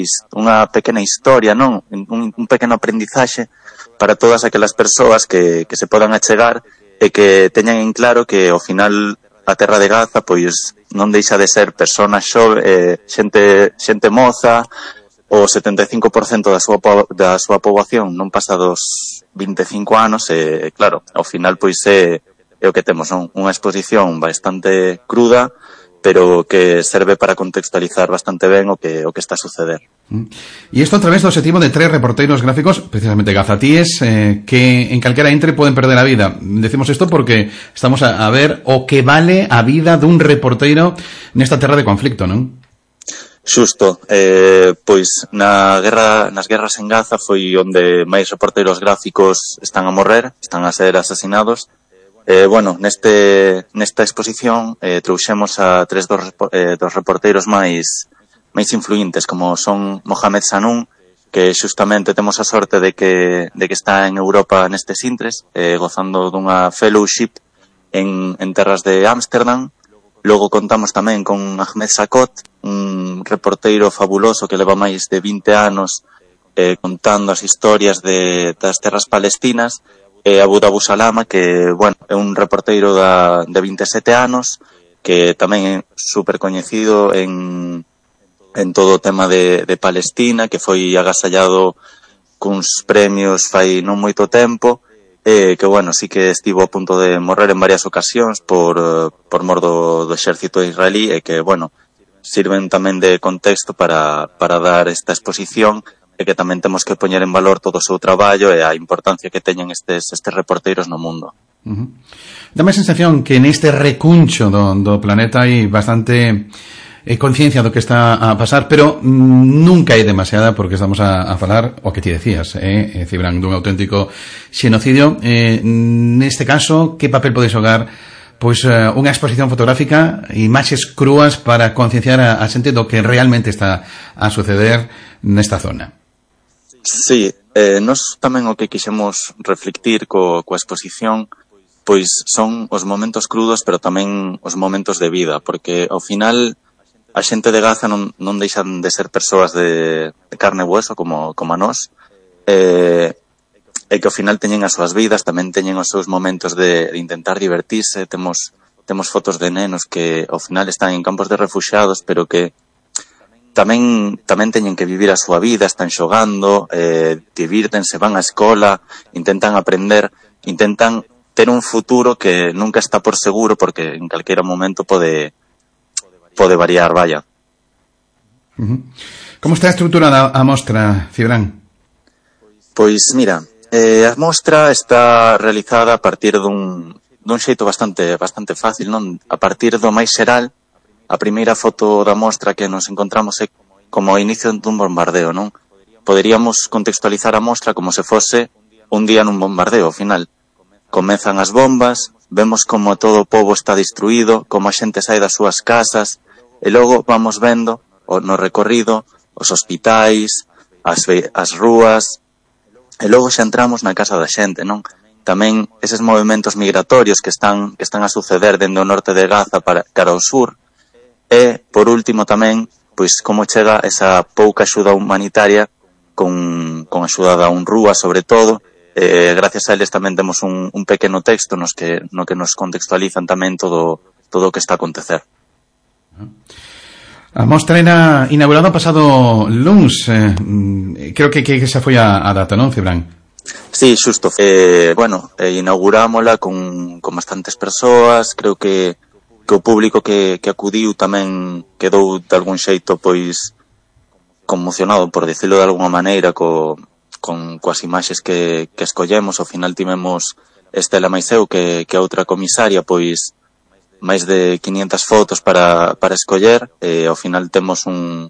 pequena historia, non? Un pequeno aprendizaxe para todas aquelas persoas que se podan achegar e que teñan en claro que ao final a terra de Gaza pois non deixa de ser personas xente moza, o 75% da súa poboación non pasa dos 25 anos e claro, ao final pois é o que temos, non? Unha exposición bastante cruda, pero que serve para contextualizar bastante ben o que está a suceder. E isto a través do objetivo de 3 reporteiros gráficos, precisamente gazatíes, que en calquera entre poden perder a vida. Decimos isto porque estamos a ver o que vale a vida dun reporteiro nesta terra de conflicto, non? Xusto, pois nas guerras en Gaza foi onde máis reporteiros gráficos están a morrer, están a ser asasinados. Bueno, nesta exposición trouxemos a 3 dos reporteiros máis influentes, como son Mohamed Sanun, que xustamente temos a sorte de que está en Europa nestes intres, gozando dunha fellowship en terras de Ámsterdam. Logo contamos tamén con Ahmed Sakot, un reporteiro fabuloso que leva máis de 20 anos contando as historias das terras palestinas, Abu Salama, que, bueno, é un reporteiro de 27 anos, que tamén é super coñecido en todo o tema de Palestina, que foi agasallado cuns premios fai non moito tempo, que, bueno, sí que estivo a punto de morrer en varias ocasións por mor do exército israelí, e que, bueno, sirven tamén de contexto para dar esta exposición, e que tamén temos que poñer en valor todo o seu traballo e a importancia que teñen estes reporteiros no mundo. Dame a sensación que neste recuncho do planeta hai bastante conciencia do que está a pasar, pero nunca é demasiada, porque estamos a falar o que ti decías, Cibran, dun auténtico xenocidio. Neste caso, que papel pode xogar pois unha exposición fotográfica, imaxes crúas para concienciar a xente do que realmente está a suceder nesta zona? Sí, nós tamén o que quixemos reflectir coa exposición pois son os momentos crudos, pero tamén os momentos de vida, porque ao final a xente de Gaza non deixan de ser persoas de carne e hueso como a nós, e que ao final teñen as súas vidas, tamén teñen os seus momentos de intentar divertirse. Temos fotos de nenos que ao final están en campos de refuxiados, pero que tamén teñen que vivir a súa vida, están xogando, divírtense, van á escola, intentan aprender, intentan ter un futuro que nunca está por seguro, porque en calquera momento pode variar, vaya. Como está estruturada a mostra, Cibran? Pois mira, a mostra está realizada a partir dun xeito bastante fácil, non? A partir do máis xeral, a primeira foto da mostra que nos encontramos é como o inicio dun bombardeo, non? Poderíamos contextualizar a mostra como se fose un día nun bombardeo, ao final. Comezan as bombas, vemos como todo o pobo está destruído, como a xente sai das súas casas, e logo vamos vendo no recorrido os hospitais, as rúas, e logo xa entramos na casa da xente, non? Tamén eses movimentos migratorios que están a suceder dende o norte de Gaza cara ao sur, e, por último tamén, pois como chega esa pouca axuda humanitaria con axuda da UNRWA, sobre todo. Gracias a eles tamén temos un pequeno texto no que nos contextualizan tamén todo o que está a acontecer. A mostra era inaugurada pasado luns, creo que esa foi a data, non, Cibran? Sí, xusto. Inaugurámola con bastantes persoas. Creo que o público que acudiu tamén quedou de algún xeito pois conmocionado, por dicilo de alguna maneira, coas imaxes que escollemos. Ao final tivemos Estela Maiseu, que a outra comisaria, pois máis de 500 fotos para escoller, e ao final temos un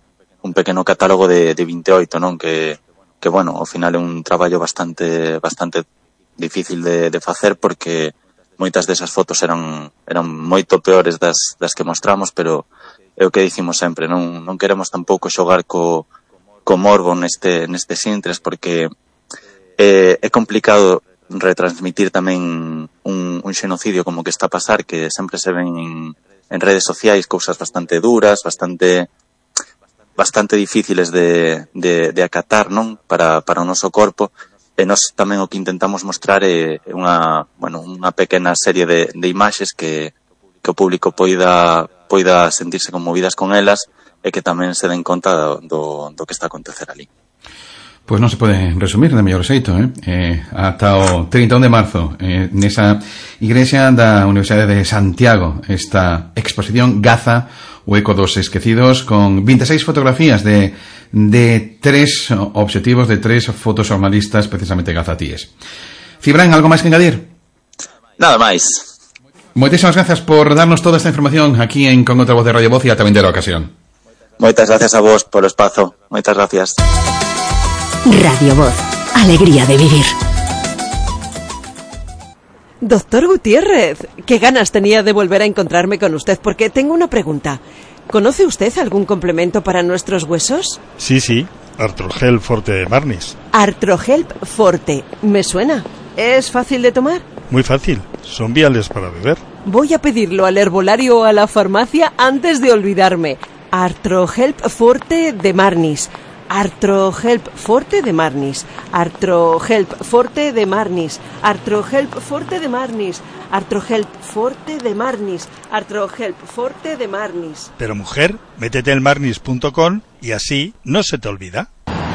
pequeno catálogo de 28, non? Que bueno, ao final é un traballo bastante difícil de facer, porque moitas desas fotos eran moito peores das que mostramos, pero é o que dicimos sempre, non queremos tampouco xogar co morbo nestes intres, porque é complicado retransmitir tamén un xenocidio como que está a pasar, que sempre se ven en redes sociais cousas bastante duras, bastante difíciles de acatar, non? Para o noso corpo. E nós tamén o que intentamos mostrar é unha pequena serie de imaxes que o público poida sentirse conmovidas con elas, e que tamén se den conta do que está a acontecer ali. Pois non se pode resumir de mellor xeito, ata o 31 de marzo, nesa igrexa da Universidade de Santiago, esta exposición Gaza, o eco dos esquecidos, con 26 fotografías de 3 obxectivos, de 3 fotoxornalistas precisamente gazatíes. Cibran, algo máis que engadir? Nada máis. Moitísimas gracias por darnos toda esta información aquí en Con outra voz de Radio Voz, e ata vindeira ocasión. Moitas gracias a vos polo espazo. Moitas gracias. Radio Voz, alegría de vivir. Doctor Gutiérrez, qué ganas tenía de volver a encontrarme con usted, porque tengo una pregunta. ¿Conoce usted algún complemento para nuestros huesos? Sí, Artrohelp Forte de Marnis. Artrohelp Forte, me suena. ¿Es fácil de tomar? Muy fácil, son viales para beber. Voy a pedirlo al herbolario o a la farmacia antes de olvidarme. Artrohelp Forte de Marnis. Artrohelp Forte de Marnis. Artrohelp Forte de Marnis. Artrohelp Forte de Marnis. Artrohelp Forte de Marnis. Artrohelp Forte de Marnis. Pero mujer, métete en marnis.com y así no se te olvida.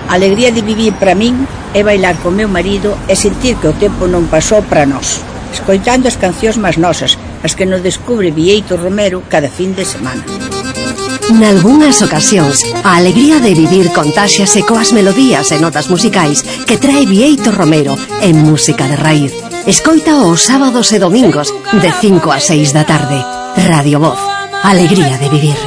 Alegría de vivir para min é bailar con meu marido e sentir que o tempo non pasou para nós, escoitando as cancións máis nosas, as que nos descubre Vieito Romero cada fin de semana. Nalgúnas ocasións, a alegría de vivir contáxiase coas melodías e notas musicais que trae Vieito Romero en Música de Raíz. Escoita os sábados e domingos de 5 a 6 da tarde. Radio Voz, alegría de vivir.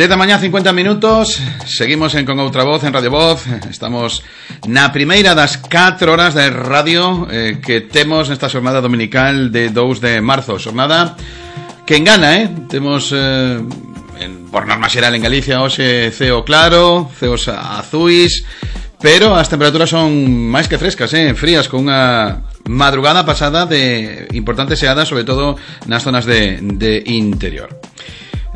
Desde mañá 50 minutos, seguimos con outra voz en Radio Voz. Estamos na primeira das 4 horas de radio que temos nesta xornada dominical de 2 de marzo. Xornada que engana, temos por norma xeral en Galicia hoxe ceo claro, ceos azuis, pero as temperaturas son máis que frescas, frías, con unha madrugada pasada de importantes xeadas, sobre todo nas zonas de interior.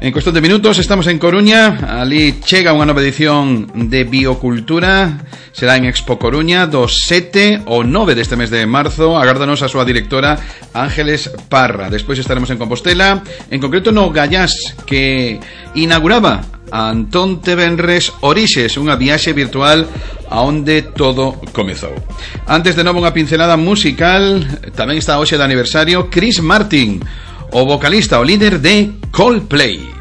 En cuestión de minutos estamos en Coruña. Ali chega unha nova edición de Biocultura. Será en Expo Coruña do 7 ao 9 deste mes de marzo. Agárdanos a súa directora Ángeles Parra. Despois estaremos en Compostela, en concreto no Gallás, que inauguraba Antón Tevenres Orixes, unha viaxe virtual aonde todo comezou. Antes de novo unha pincelada musical. Tamén está hoxe de aniversario Chris Martin, o vocalista, o líder de Coldplay.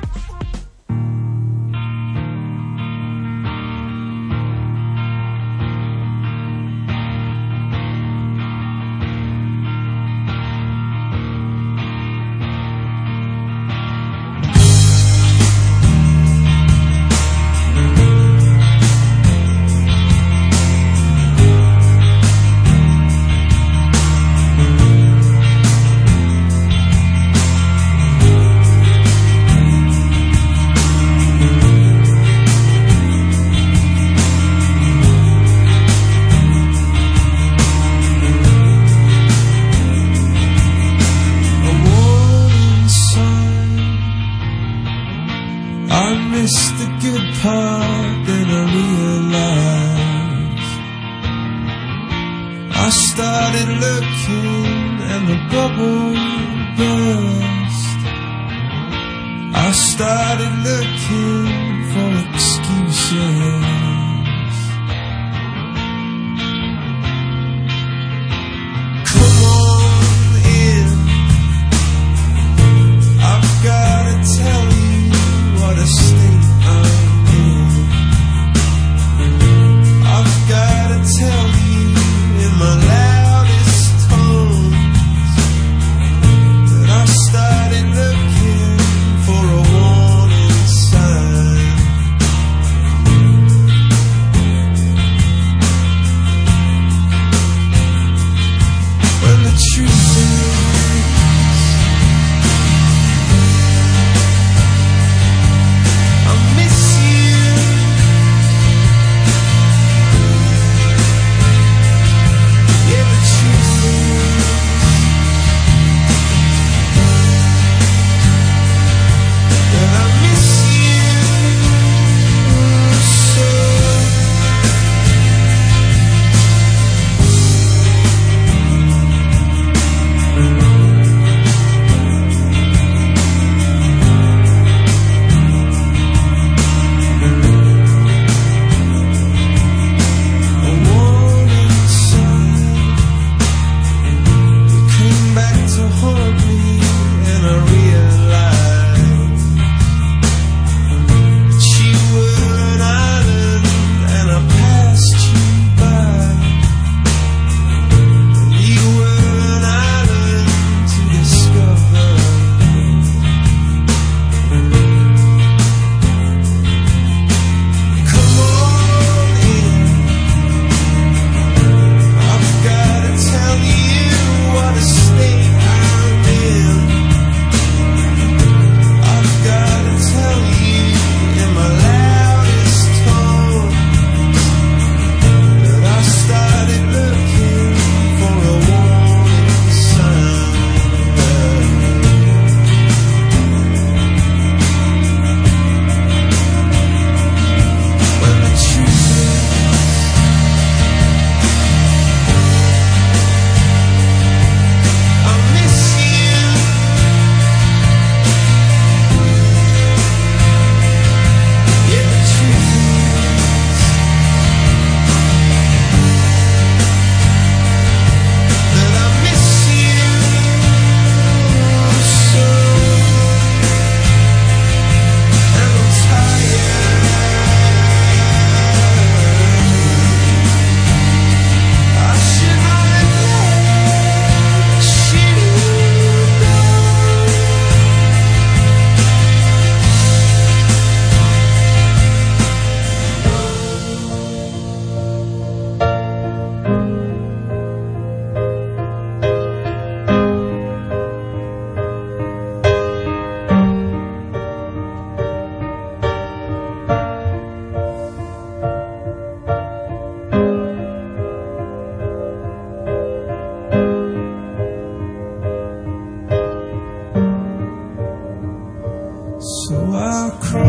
So I crawl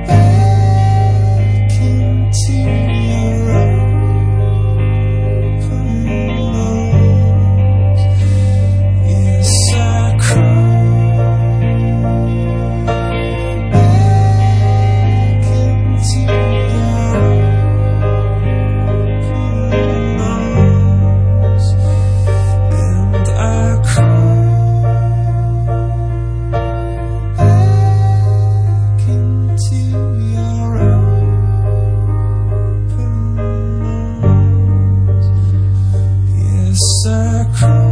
back into your open arms. Yes, I crawl back into your open arms, and I crawl.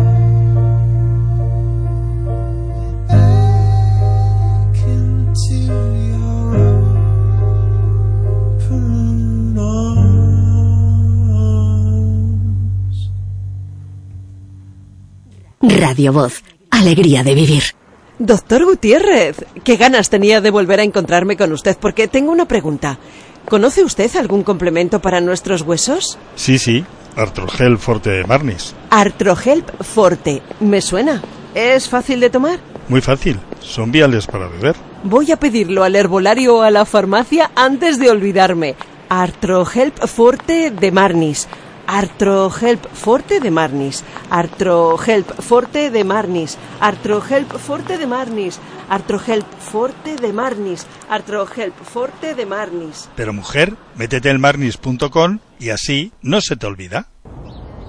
Radio Voz, alegría de vivir. Doctor Gutiérrez, qué ganas tenía de volver a encontrarme con usted, porque tengo una pregunta. ¿Conoce usted algún complemento para nuestros huesos? Sí, Artrohelp Forte de Marnis. Artrohelp Forte, me suena. ¿Es fácil de tomar? Muy fácil, son viales para beber. Voy a pedirlo al herbolario o a la farmacia antes de olvidarme. Artrohelp Forte de Marnis. Artrohelp Forte de Marnis. Artrohelp Forte de Marnis. Artrohelp Forte de Marnis. Artrohelp Forte de Marnis. Artrohelp Forte de Marnis. Pero mujer, métete en marnis.com y así no se te olvida.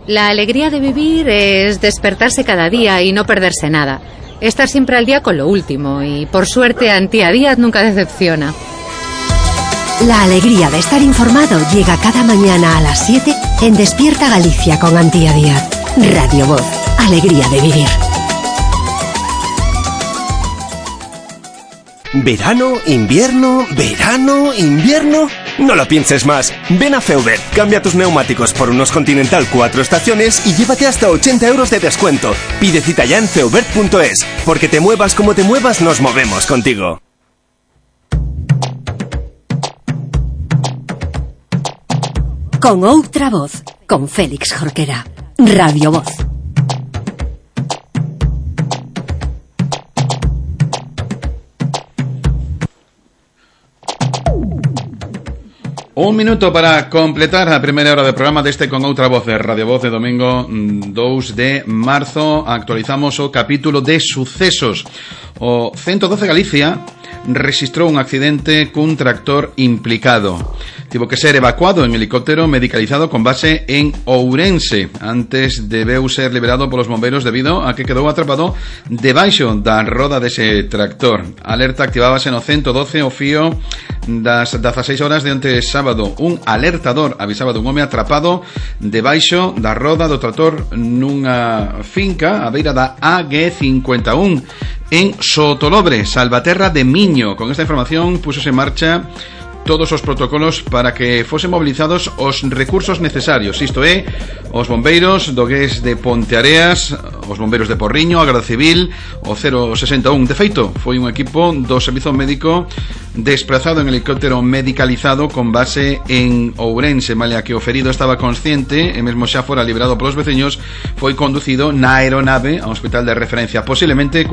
La alegría de vivir es despertarse cada día y no perderse nada. Estar siempre al día con lo último y, por suerte, Antía Díaz nunca decepciona. La alegría de estar informado llega cada mañana a las 7 en Despierta Galicia con Antía Díaz. Radio Voz, alegría de vivir. ¿Verano, invierno, verano, invierno? No lo pienses más. Ven a Feubert, cambia tus neumáticos por unos Continental 4 estaciones y llévate hasta 80 euros de descuento. Pide cita ya en feubert.es, porque te muevas como te muevas, nos movemos contigo. Con outra voz, con Félix Jorquera. Radio Voz. Un minuto para completar a primeira hora de programa deste Con Outra Voz de Radio Voz de domingo 2 de marzo. Actualizamos o capítulo de sucesos. O 112 Galicia registrou un accidente cun tractor implicado. Tivo que ser evacuado en helicóptero medicalizado con base en Ourense antes debeu ser liberado polos bombeiros debido a que quedou atrapado debaixo da roda dese tractor. Alerta activábase no 112 o fío das 16 horas de onte sábado. Un alertador avisaba dun home atrapado debaixo da roda do tractor nunha finca a beira da AG51 en Sotolobre, Salvaterra de Miño. Con esta información púsose en marcha todos os protocolos para que fosen mobilizados os recursos necesarios, isto é, os bombeiros do GES de Ponteareas, os bombeiros de Porriño, a Garda Civil, o 061. De feito, foi un equipo do servizo médico desplazado en helicóptero medicalizado con base en Ourense, malia que o ferido estaba consciente e mesmo xa fora liberado polos veciños, foi conducido na aeronave ao hospital de referencia, posiblemente